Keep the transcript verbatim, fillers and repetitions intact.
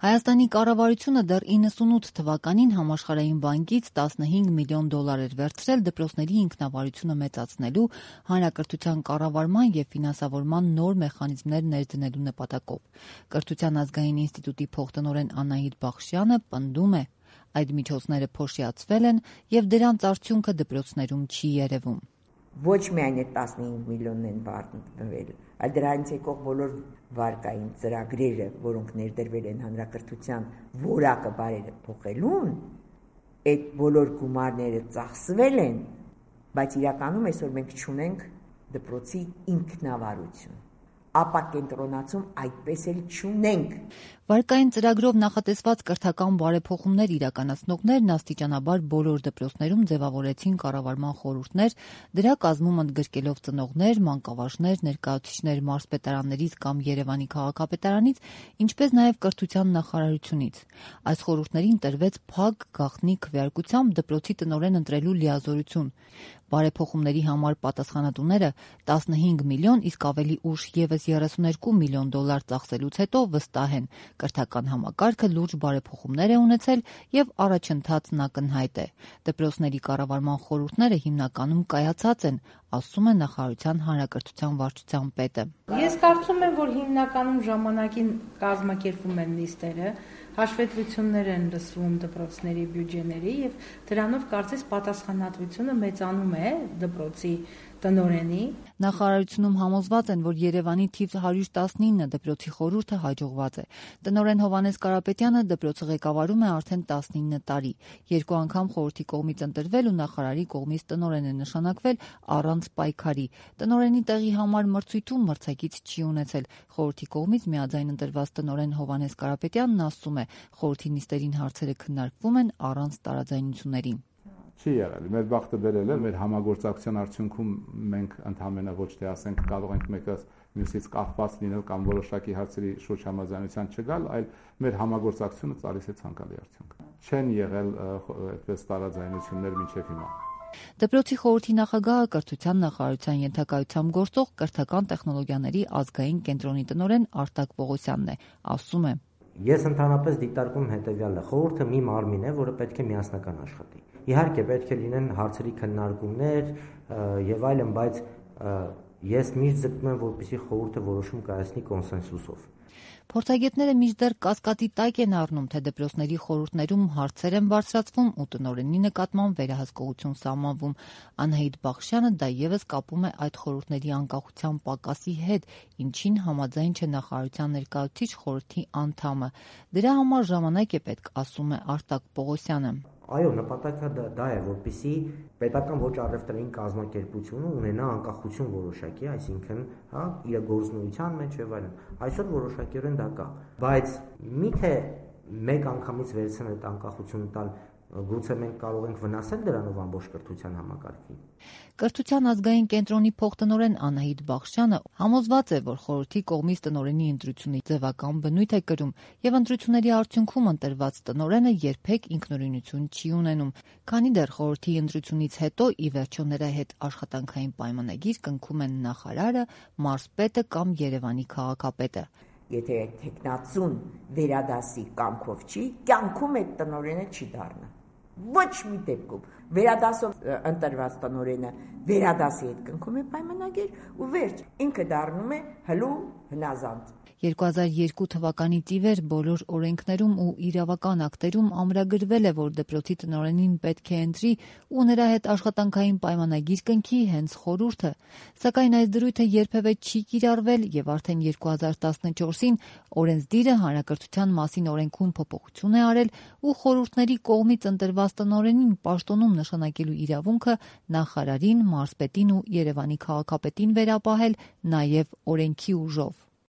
Հայաստանի կառավարությունը դեռ իննսունութ թվականին Համաշխարհային բանկից տասնհինգ միլիոն դոլար էր վերցրել դպրոցների ինքնավարությունը մեծացնելու, հանրակրթության կառավարման և ֆինանսավորման նոր մեխանիզմներ ներդնելու նպատակով։ Կրթության ազգային ինստիտուտի փոխտնօրեն Անահիտ Բախշյանը պնդում է, այդ միջոցները փոշիացվել են և դրանց արդյունքը դպրոցներում չի երևում։ Ոչ միայն այդ տասնհինգ միլիոնն են վաճառվել, այլ դրանից եկող բոլոր վարկային ծրագրերը, որոնք ներդրվել են հանրակրթության որակը բարերը փոխելուն, այդ բոլոր գումարները ծախսվել են, բայց իրականում այսօր մենք չունենք դպրոցի ինքնավարություն, ապակենտրոնացում այդպես էլ չունենք։ Վարկային ծրագրով նախատեսված կրթական բարեփոխումներ իրականացնողներն աստիճանաբար բոլոր դպրոցներում ձևավորեցին կառավարման խորհուրդներ, դրա կազմում ընդգրկելով ծնողներ, մանկավարժներ, ներկայացուցիչներ մարզպետարաններից կամ Երևանի քաղաքապետարանից, ինչպես նաև կրթության նախարարությունից։ Այս խորհուրդներին տրվեց փակ գաղտնի քվեարկությամբ դպրոցի տնօրեն ընտրելու լիազորություն։ Բարեփոխումների համար պատասխանատուները տասնհինգ միլիոն, իսկ ավելի ուշ ևս երեսունհինգ միլիոն դոլար ծախսելուց հետո վստահ են, կրթական համակարգը լուրջ բարեփոխումներ է ունեցել և առաջընթացն ակնհայտ է։ Դպրոցների կառավարման խորհուրդները հիմնականում կայացած են, ասում է նախարարության հանրակրթության վարչության պետը։ Ես կարծում եմ, որ հիմնականում ժամանակին կազմակերպվում են նիստերը, հաշվետվություններ են լսվում դպրոցների բյուջեների և դրանով կարծես պատասխանատվությունը մեծանում է դպրոցի տնօրենի։ Նախարարությունում համոզված են, որ Երևանի թիվ հարյուր տասնինը դպրոցի խորհուրդը հաջողված է։ Տնօրեն Հովհաննես Կարապետյանը դպրոցը ղեկավարում է արդեն տասնինը տարի։ Երկու անգամ խորհրդի կողմից ընտրվել ու նախարարի կողմից տնօրեն է նշանակվել առանց պայքարի։ Տնօրենի տեղի համար մրցույթում մրցակից չի ունեցել։ Խորհրդի կողմից միաձայն ընտրված տնօրեն Հովհաննես Կարապետյանն ասում է, խորհրդի նիստերին հարցերը քննարկվում են առանց տարաձայնությունների։ Չի եղել։ Մեր բախտը բերել է, մեր համագործակցության արդյունքում մենք ընդհանրապես ոչ թե ասենք կարող ենք մեկը մյուսից կախված լինել կամ որոշակի հարցերի շուրջ համաձայնության չգալ, այլ մեր համագործակցությունը ծալիս է ցանկալի արդյունք։ Չեն եղել այդպես տարաձայնություններ մինչև հիմա։ Դպրոցի խորհրդի նախագահը կրթության նախարարության ենթակայությամբ գործող կրթական տեխնոլոգիաների ազգային կենտրոնի տնօրեն Արտակ Պողոսյանն է, ասում է. Ես ընդհանրապես դիտարկում հետևյալը. խորհուրդը մի մարմին է, որը պետք է միասնական աշխատի։ Իհարկե պետք է լինեն հարցերի քննարկումներ եւ այլն, բայց ես միշտ ձգտում եմ, որպեսզի խորհուրդը որոշում կայացնի կոնսենսուսով։ Փորձագետները մինչդեռ կասկածի տակ են առնում, թե դպրոցների խորհուրդներում հարցեր են բարձրացվում ու տնօրենի նկատմամբ վերահսկողություն սահմանվում։ Անահիտ Բախշյանը դա ևս կապում է այդ խորհուրդների անկախության պակասի հետ, ինչին համաձայն չէ նախարարության ներկայացուցիչ խորհրդի անդամը։ Դրա համար ժամանակ է պետք, ասում է Արտակ Պողոսյանը։ Այո, նպատակը դա է, որպեսզի պետական ոչ առևտրային կազմակերպությունը ունենա անկախություն որոշակի, այսինքն, հա, իր գործունեության մեջ եւ այլն։ Այսօր որոշակիորեն դա կա, բայց միթե մեկ անգամից վերցնել այդ անկախությունը տալ, գուցե մենք կարող ենք վնասել դրանով ամբողջ կրթության համակարգին։ Կրթության ազգային կենտրոնի փոխտնօրեն Անահիտ Բախշյանը համոզված է, որ խորհրդի կողմից տնօրենի ընտրությունը ձևական բնույթ է կրում եւ ընտրությունների արդյունքում ընտրված տնօրենը երբեք ինքնուրույնություն չի ունենում, քանի դեռ խորհրդի ընտրությունից հետո ի վերջո նրա հետ աշխատանքային պայմանագիր կնքում են նախարարը, մարզպետը կամ Երևանի քաղաքապետը։ Եթե տեխնացուն վերադասի կամքով չի, կյանքում այդ տնօրենը չի դառնա։ Ոչ մի դեպքում վերադասով ընտրված տնօրենը վերադասի հետ կնքում է պայմանագիր ու վերջ, ինքը դառնում է հլու հնազանդ։ երկու հազար երկու թվականից ի վեր բոլոր օրենքներում ու իրավական ակտերում ամրագրվել է, որ դպրոցի տնօրենին պետք է ընտրի ու նրա հետ աշխատանքային պայմանագիր կնքի հենց խորհուրդը, սակայն այս դրույթը երբևէ չի կիրառվել եւ արդեն երկու հազար տասնչորսին օրենսդիրը հանրակրթության մասին օրենքում փոփոխություն է արել ու խորհուրդների կողմից ընտրված տնօրենին պաշտոնում նշանակելու իրավունքը նախարարին, մարզպետին ու Երևանի քաղաքապետին վերապահել նաեւ օրենքի ուժով։